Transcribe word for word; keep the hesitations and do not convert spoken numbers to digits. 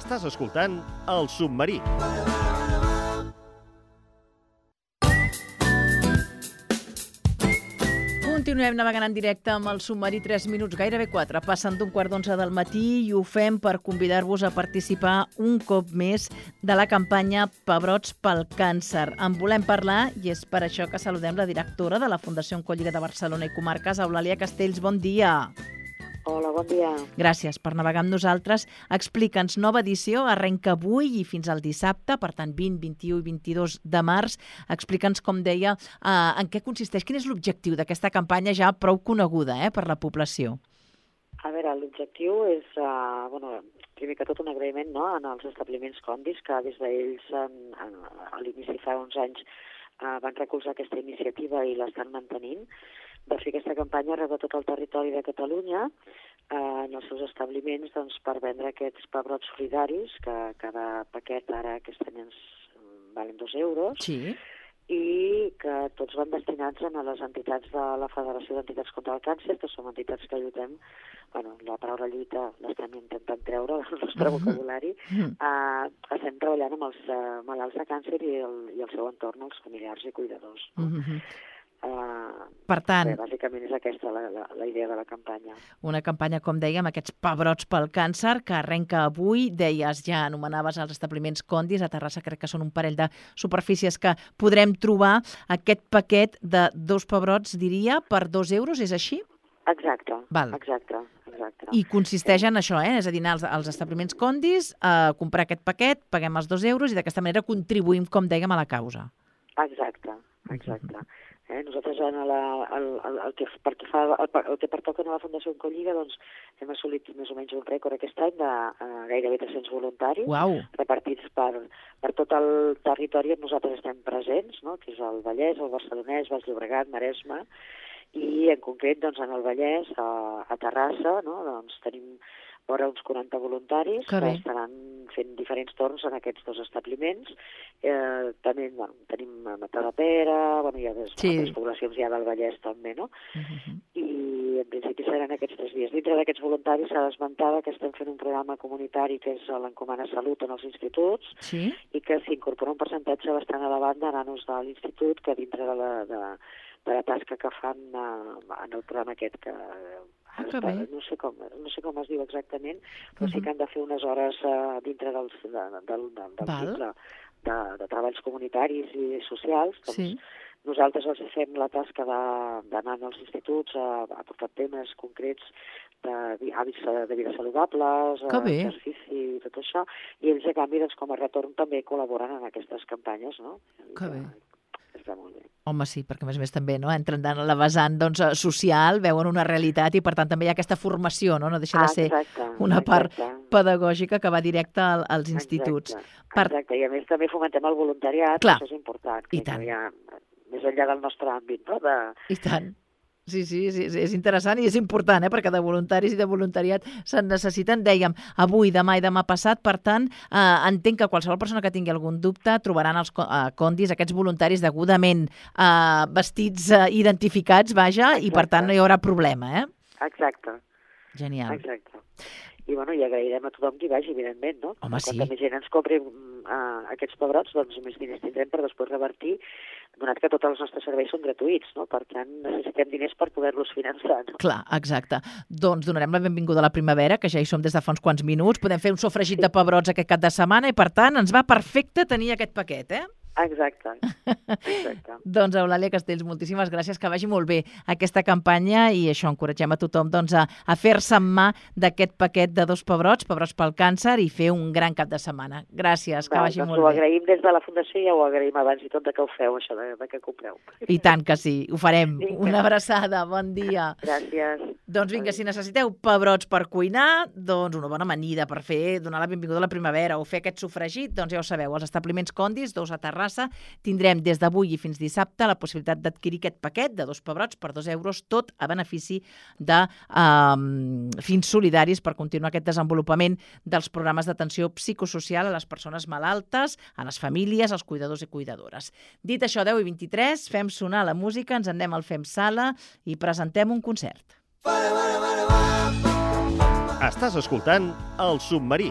Estàs escoltant El Submarí. Continuem navegant en directe amb el Submarí, tres minuts, gairebé quatre, passant d'un quart d'onze del matí, i ho fem per convidar-vos a participar un cop més de la campanya Pebrots pel Càncer. En volem parlar i és per això que saludem la directora de la Fundació Oncolliga de Barcelona i Comarques, Eulàlia Castells. Bon dia. Hola, bon dia. Gràcies per navegar amb nosaltres. Explica'ns, nova edició, arrenca avui i fins al dissabte, per tant vint, vint-i-u i vint-i-dos de març. Explica'ns, com deia, eh, en què consisteix, quin és l'objectiu d'aquesta campanya ja prou coneguda eh, per la població. A veure, l'objectiu és, uh, bueno, primer que tot un agraïment no, en els establiments Condis, que des d'ells en, en, a l'inici fa uns anys uh, van recolzar aquesta iniciativa i l'estan mantenint, de fer aquesta campanya arreu de tot el territori de Catalunya eh, en els seus establiments doncs, per vendre aquests pebrots solidaris, que cada paquet ara aquest any ens valen dos euros, Sí. i que tots van destinats a les entitats de la Federació d'Entitats contra el Càncer, que són entitats que lluitem, bueno, la paraula lluita l'estem intentant treure del nostre vocabulari, Mm. eh, estem treballant amb els eh, malalts de càncer i el, i el seu entorn, els familiars i cuidadors. No? Mm-hmm. Uh, Per tant, bé, bàsicament és aquesta la, la, la idea de la campanya. una campanya, com dèiem, aquests pebrots pel càncer, que arrenca avui. Deies, ja anomenaves els establiments Condis, a Terrassa crec que són un parell de superfícies que podrem trobar aquest paquet de dos pebrots, diria, per dos euros, és així? Exacte, Val. exacte, exacte. I consisteix en això, eh? És a dir, anar als, als establiments Condis, a comprar aquest paquet, paguem els dos euros i d'aquesta manera contribuïm, com dèiem, a la causa. Exacte, exacte. Eh, nosaltres en la, el, el, el, que, per que fa, el, el que pertoca a la Fundació Oncolliga doncs, hem assolit més o menys un rècord aquest any de uh, gairebé tres-cents voluntaris Uau. repartits per, per tot el territori on nosaltres estem presents, no? Que és el Vallès, el Barcelonès, Baix Llobregat, Maresme, i en concret doncs, en el Vallès, a, a Terrassa, no? Doncs, tenim vora uns quaranta voluntaris que, que estaran fent diferents torns en aquests dos establiments. Eh, també bueno, tenim a Matadepera, bueno, hi ha des, Sí. altres poblacions ja del Vallès també, no? Uh-huh. I en principi seran aquests tres dies. Dintre d'aquests voluntaris s'ha d'esmentar que estem fent un programa comunitari que és l'Encomana Salut en els instituts Sí? i que s'incorpora un percentatge bastant elevat de nanos de l'institut que dintre de la, de, de la tasca que fan uh, en el programa aquest que Ah, que bé. no sé com, no sé com es diu exactament, però Uh-huh. sí que han de fer unes hores uh, dintre dels, de, de, del, del Val. cicle de, de treballs comunitaris i socials. Doncs Sí. nosaltres els fem la tasca de- d'anar als instituts a, a portar temes concrets de vi- hàbits de vida saludables, Que bé. exercici i tot això, i ells a canvi doncs, com a retorn també col·laboren en aquestes campanyes, no? Que bé. Està molt bé. Home, sí, perquè a més a més també no, entren en la vessant doncs, eh, social, veuen una realitat i per tant també hi ha aquesta formació, no, no deixa de ser Ah, exacte, una part exacte. pedagògica que va directa al, als instituts. Exacte, Per- exacte, i a més també fomentem el voluntariat, Clar. que això és important. I que tant. Hi ha, més enllà del nostre àmbit, no? De... I tant. Sí, sí, sí, és interessant i és important, eh? Perquè de voluntaris i de voluntariat se'n necessiten, dèiem, avui, demà i demà passat. Per tant, eh, entenc que qualsevol persona que tingui algun dubte trobaran els co- eh, Condis, aquests voluntaris degudament eh, vestits, eh, identificats, vaja, i per Exacte. tant no hi haurà problema, eh? Exacte, Genial. exacte. I, bueno, i agrairem a tothom qui vagi, evidentment, no? Home, Quanta sí. més gent ens compri uh, aquests pebrots, doncs més diners tindrem per després revertir, donat que tots els nostres serveis són gratuïts, no? Per tant, necessitem diners per poder-los finançar, no? Clar, exacte. Doncs donarem la benvinguda a la primavera, que ja hi som des de fa uns quants minuts. Podem fer un sofregit de pebrots aquest cap de setmana i, per tant, ens va perfecte tenir aquest paquet, eh? Exacte, exacte. Doncs, Eulàlia Castells, moltíssimes gràcies, que vagi molt bé aquesta campanya i això, encoratgem a tothom doncs, a, a fer-se en mà d'aquest paquet de dos pebrots, pebrots pel càncer, i fer un gran cap de setmana. Gràcies, que Val, vagi doncs molt ho bé. agraïm des de la Fundació i ja ho agraïm abans i tot de que ho feu, això de, de que compreu. I tant que sí, ho farem. Vinga. Una abraçada, bon dia. Gràcies. Doncs vinga, si necessiteu pebrots per cuinar, doncs una bona amanida per fer, donar la benvinguda a la primavera o fer aquest sofregit, doncs ja ho sabeu, els establiments Condis, dos a Terrassa, tindrem des d'avui i fins dissabte la possibilitat d'adquirir aquest paquet de dos pebrots per dos euros, tot a benefici de um, fins solidaris per continuar aquest desenvolupament dels programes d'atenció psicosocial a les persones malaltes, a les famílies, als cuidadors i cuidadores. Dit això, deu i vint-i-tres, fem sonar la música, ens en anem al Fem Sala i presentem un concert. Estàs escoltant El Submarí.